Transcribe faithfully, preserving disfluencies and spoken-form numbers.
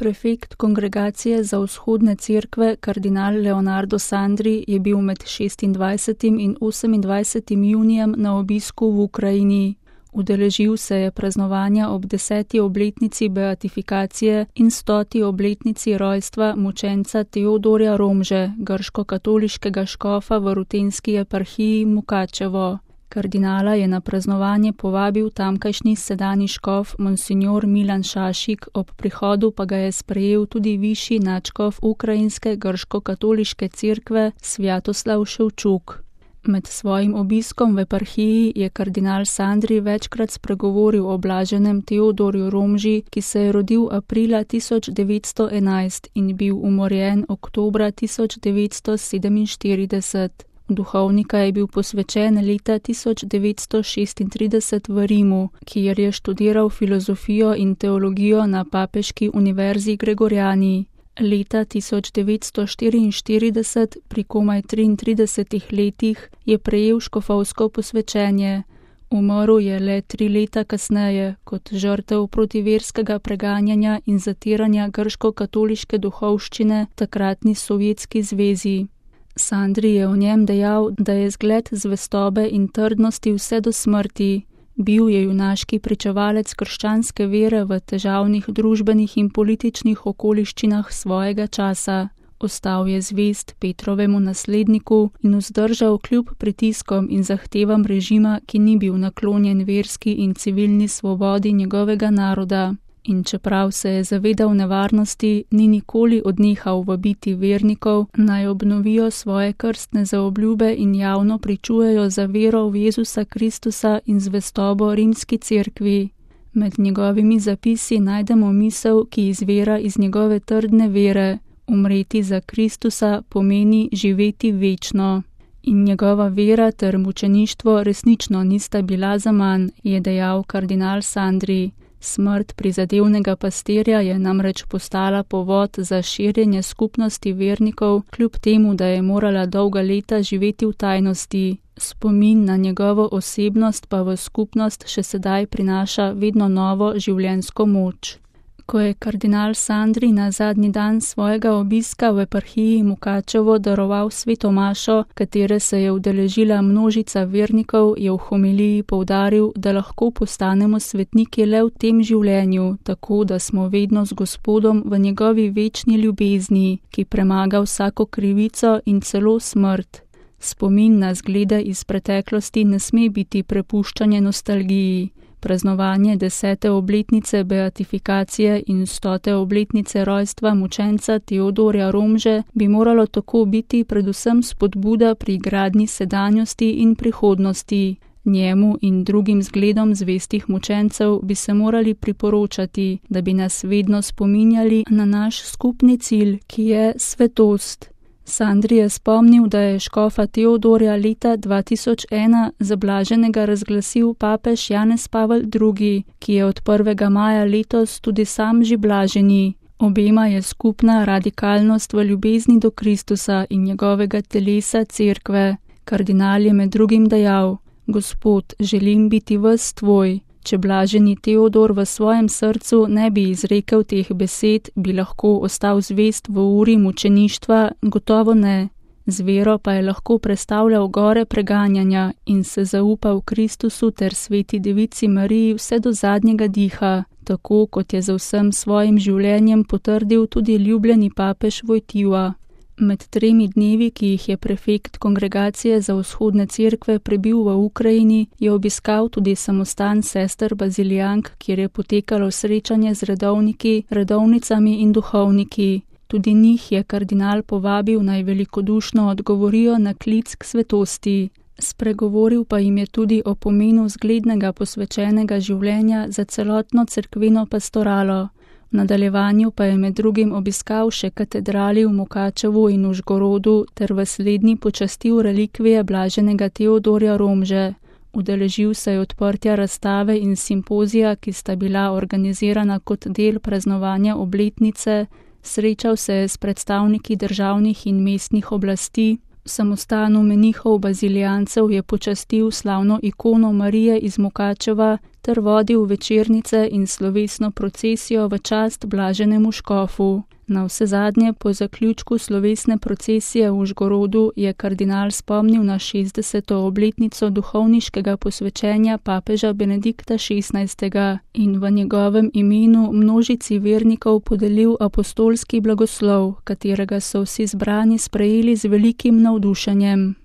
Prefekt Kongregacije za vzhodne cerkve, kardinal Leonardo Sandri, je bil med šestindvajsetim in osemindvajsetim junijem na obisku v Ukrajini. Udeležil se je praznovanja ob deseti obletnici beatifikacije in stoti obletnici rojstva mučenca Teodorja Romže, grško-katoliškega škofa v rutenski eparhiji Mukačevo. Kardinala je na praznovanje povabil tamkajšnji sedanji škof monsignor Milan Šašik, ob prihodu pa ga je sprejel tudi višji nadškof ukrajinske grško-katoliške cerkve Svjatoslav Ševčuk. Med svojim obiskom v eparhiji je kardinal Sandri večkrat spregovoril o blaženem Teodorju Romži, ki se je rodil aprila tisoč devetsto enajst in bil umorjen oktobra tisoč devetsto sedeminštirideset. Duhovnika je bil posvečen leta tisoč devetsto šestintrideset v Rimu, kjer je študiral filozofijo in teologijo na papeški univerzi Gregoriani. Leta tisoč devetsto štiriinštirideset, pri komaj triintridesetih letih, je prejel škofovsko posvečenje. Umrl je le tri leta kasneje, kot žrtev protiverskega preganjanja in zatiranja grško-katoliške duhovščine takratni Sovjetski zvezi. Sandri je o njem dejal, da je zgled zvestobe in trdnosti vse do smrti. Bil je junaški pričevalec krščanske vere v težavnih družbenih in političnih okoliščinah svojega časa. Ostal je zvest Petrovemu nasledniku in vzdržal kljub pritiskom in zahtevam režima, ki ni bil naklonjen verski in civilni svobodi njegovega naroda. In čeprav se je zavedal nevarnosti, ni nikoli odnehal vabiti vernikov, naj obnovijo svoje krstne zaobljube in javno pričujejo za vero v Jezusa Kristusa in zvestobo rimski cerkvi. Med njegovimi zapisi najdemo misel, ki izvira iz njegove trdne vere: umreti za Kristusa pomeni živeti večno. In njegova vera ter mučeništvo resnično nista bila zaman, je dejal kardinal Sandri. Smrt prizadevnega pastirja je namreč postala povod za širjenje skupnosti vernikov, kljub temu, da je morala dolga leta živeti v tajnosti. Spomin na njegovo osebnost pa v skupnost še sedaj prinaša vedno novo življenjsko moč. Ko je kardinal Sandri na zadnji dan svojega obiska v eparhiji Mukačevo daroval sveto mašo, katere se je udeležila množica vernikov, je v homiliji poudaril, da lahko postanemo svetniki le v tem življenju, tako da smo vedno z Gospodom v njegovi večni ljubezni, ki premaga vsako krivico in celo smrt. Spomin na zglede iz preteklosti ne sme biti prepuščanje nostalgiji. Praznovanje desete obletnice beatifikacije in stote obletnice rojstva mučenca Teodorja Romže bi moralo tako biti predvsem spodbuda pri gradnji sedanjosti in prihodnosti. Njemu in drugim zgledom zvestih mučencev bi se morali priporočati, da bi nas vedno spominjali na naš skupni cilj, ki je svetost. Sandri je spomnil, da je škofa Teodorja leta dva tisoč ena za blaženega razglasil papež Janez Pavel drugi, ki je od prvega maja letos tudi sam že blaženi. Obema je skupna radikalnost v ljubezni do Kristusa in njegovega telesa cerkve. Kardinal je med drugim dejal: Gospod, želim biti ves tvoj. Če blaženi Teodor v svojem srcu ne bi izrekel teh besed, bi lahko ostal zvest v uri mučeništva? Gotovo ne. Z vero pa je lahko prestavljal gore preganjanja in se zaupal Kristusu ter sveti devici Mariji vse do zadnjega diha, tako kot je za vsem svojim življenjem potrdil tudi ljubljeni papež Vojtiva. Med tremi dnevi, ki jih je prefekt Kongregacije za vzhodne cerkve prebil v Ukrajini, je obiskal tudi samostan sester Bazilijank, kjer je potekalo srečanje z redovniki, redovnicami in duhovniki. Tudi njih je kardinal povabil, naj velikodušno odgovorijo na klic k svetosti. Spregovoril pa jim je tudi o pomenu zglednega posvečenega življenja za celotno cerkveno pastoralo. V nadaljevanju pa je med drugim obiskal še katedrali v Mukačevu in Užgorodu ter v slednji počastil relikvije blaženega Teodorja Romže. Udeležil se je odprtja razstave in simpozija, ki sta bila organizirana kot del praznovanja obletnice, srečal se je s predstavniki državnih in mestnih oblasti. V samostanu menihov bazilijancev je počastil slavno ikono Marije iz Mukačeva ter vodil večernice in slovesno procesijo v čast blaženemu škofu. Navsezadnje po zaključku slovesne procesije v Užgorodu je kardinal spomnil na šestdeseto obletnico duhovniškega posvečenja papeža Benedikta šestnajstega in v njegovem imenu množici vernikov podelil apostolski blagoslov, katerega so vsi zbrani sprejeli z velikim navdušenjem.